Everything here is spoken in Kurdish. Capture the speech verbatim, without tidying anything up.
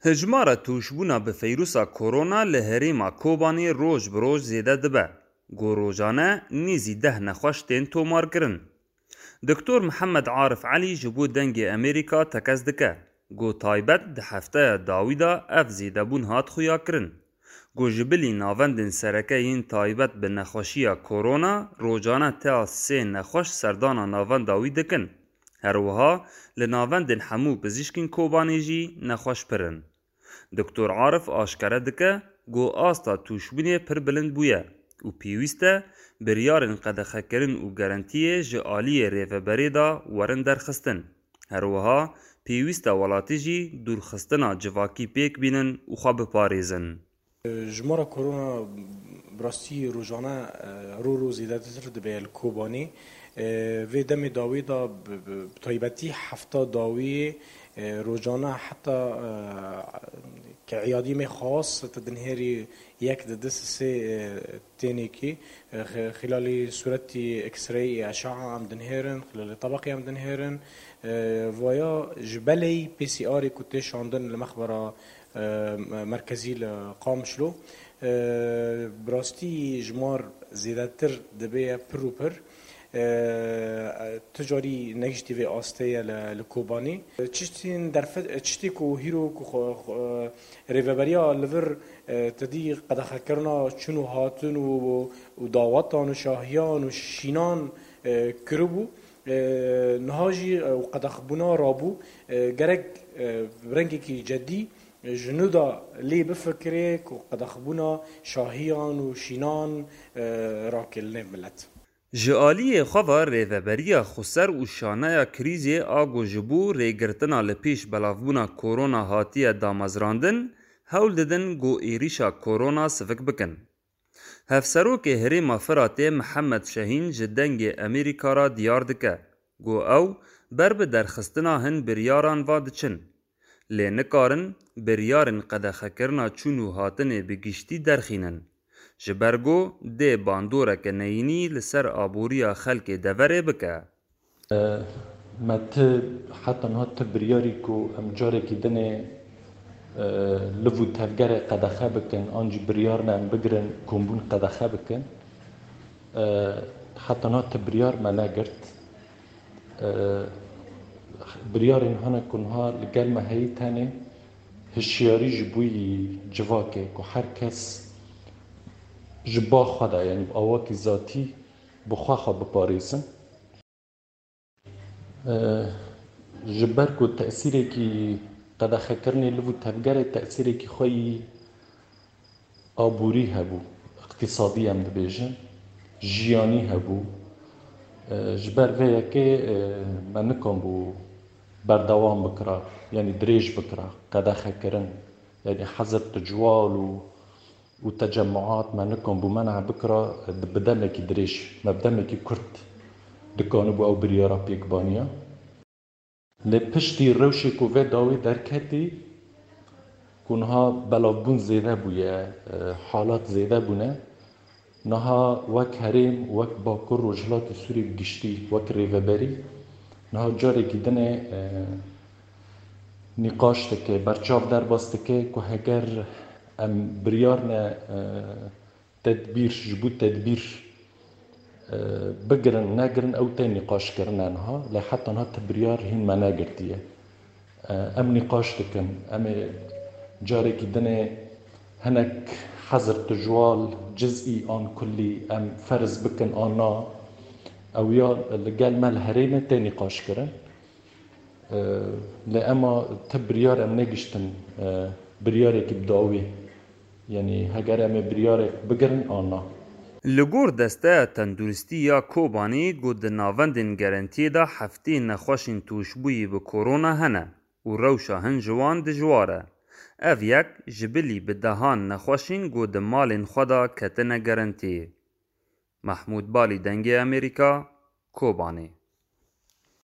Hejmara tûşbûna bi feyrûsa korona li herêma Kobanê roj bi roj zêde dibe. Ku rojane nêzî deh nexweş tên tomarkirin. Doktor Mihemed Arif Elî ji bo Dengê Amerîka tekez dike. Ku taybet di hefteya dawî de ev zêdebûn hat xuyakirin. Ku ji bilî navendên sereke yên taybet bi nexweşiya korona rojane teya sê nexweş serdana navenda wî dikin. Her wiha li navendên hemû pizîşkên Kobanê jî nexweş pir in. Doktor Arif aşkere dike ku asta tûşbûnê pir bilind bûye û pêwîst e biryarên qedexekirin û gerentiyê ji aliyê rêveberê de werin derxistin. Her wiha pêwîst e welatî jî dûrxistina civakî pêk bînin û xwe biparêzin. Jimara korona bi rastî rojane, e, rû rû zêdetir dibe li Kobanê. E, vê demê dawî de bi, bi, bi taybetî hefta dawiyê, e, rojane heta, e, ke îyadî me xas te dinhêrî yek di du sê, e, tênekî, e, xi-, xilalî sûretî X-ray, eşaa em dinhêrin, xilalî tebeqê em dinhêrin. E, vaya ji belê P C Rê ku tê şandin li mexbera e, merkezî li Qamişlo. E, bi rastî jimar zêdetir dibe pir û pir. E, tu carî negiştî vê astê ye li, li Kobanê. Çiştên derfe-, çiştê ku hîro ku xwe, xwe, rêveberiya li vir, e, tedî qedexekirina çûn û hatin û, û dawetan û şahiyan û şînan, e, kiribû. E, niha jî, e, qedexbûna rabû, e, gerek, e, bi rengekî cedî, e, ji nû de lê bifikirê ku qedexbûna şahiyan û şînan, e, rakê li nêv milet. Ji aliyê xwe ve rêveberiya xweser û şaneya krîzê a ku ji bo rêgirtina li pêş belavbûna korona hatiye damezrandin, hewl didin ku êrîşa korona sivik bikin. Hevserokê Herêma Firatê Mihemed Şehîn ji Dengê Amerîka re diyar dike ku ew ber bi derxistina hin biryaran ve diçin. Lê nikarin biryarên qedexekirina çûn û hatinê bi giştî derxînin. Ji ber ku dê bandoreke neyînî li ser aboriya xelkê deverê bike. Me ti heta niha ti biryarî ku em carekî dinê, e, liv û tevgerê qedexe bikin, an jî biryar ne em bigirin kombûn qedexe bikin. E, heta niha ti biryar me negirt. E, biryarên hene ku niha li gel me heyî tenê hişyarî ji bo yî civakê ku her kes ji ba xwe de, yanî bi awakî zatî bi xwe xwe biparêzin. Ji ber ku tesîrekî qedexekirinê liv û tevgerê tesîrekî xwe yî aborî hebû, iqtîsadî em dibêjin, jiyanî hebû. Ji ber vê yekê me nikanbû berdewam bikira, yanî dirêj bikira, qedexekirin, yanî hezir tu ciwal û û tecemmuat me nikan bû men'a bikira, bi demekî dirêj, me bi demekî kurt dikanibû ew biryara pêk baniya. Lê piştî rewşê ku vê dawî derketî, ku niha belavbûn zêde bûye, e, halat zêde bûne, niha wek herêm, wek Bakur Rojhilatê Sûriyê bi giştî, wek rêveberî, niha carekî dinê, e, nîqaş dike, berçav derbas dike ku heger em biryar ne, e, tedbîr, ji bo tedbîr, e, bigirin, negirin, ew tê nîqaşkirin e niha, lê heta niha ti biryar hîn me negirtiye. E, em nîqaş dikin, em ê carekî dinê hinek hezir tijwal, cizî an kullî, em ferz bikin an na, ew ya li gel me li herêmê tê nîqaşkirin. E, lê ema ti biryar em negiştin, e, biryarekî bi dawî. Yanî heger em ê biryarek bigirin an na. Li gor Desteya Tenduristî ya Kobanî got di navendên gerentiyê de heftê nexweşên tûşbûyî bi korona hene û rewşa hin ji wan dijwar e. Ev yek ji bilî bi dehan nexweşên got di malên xwe de ketine gerentiyê. Mahmûd Balî, Dengê Amerîka, Kobanê.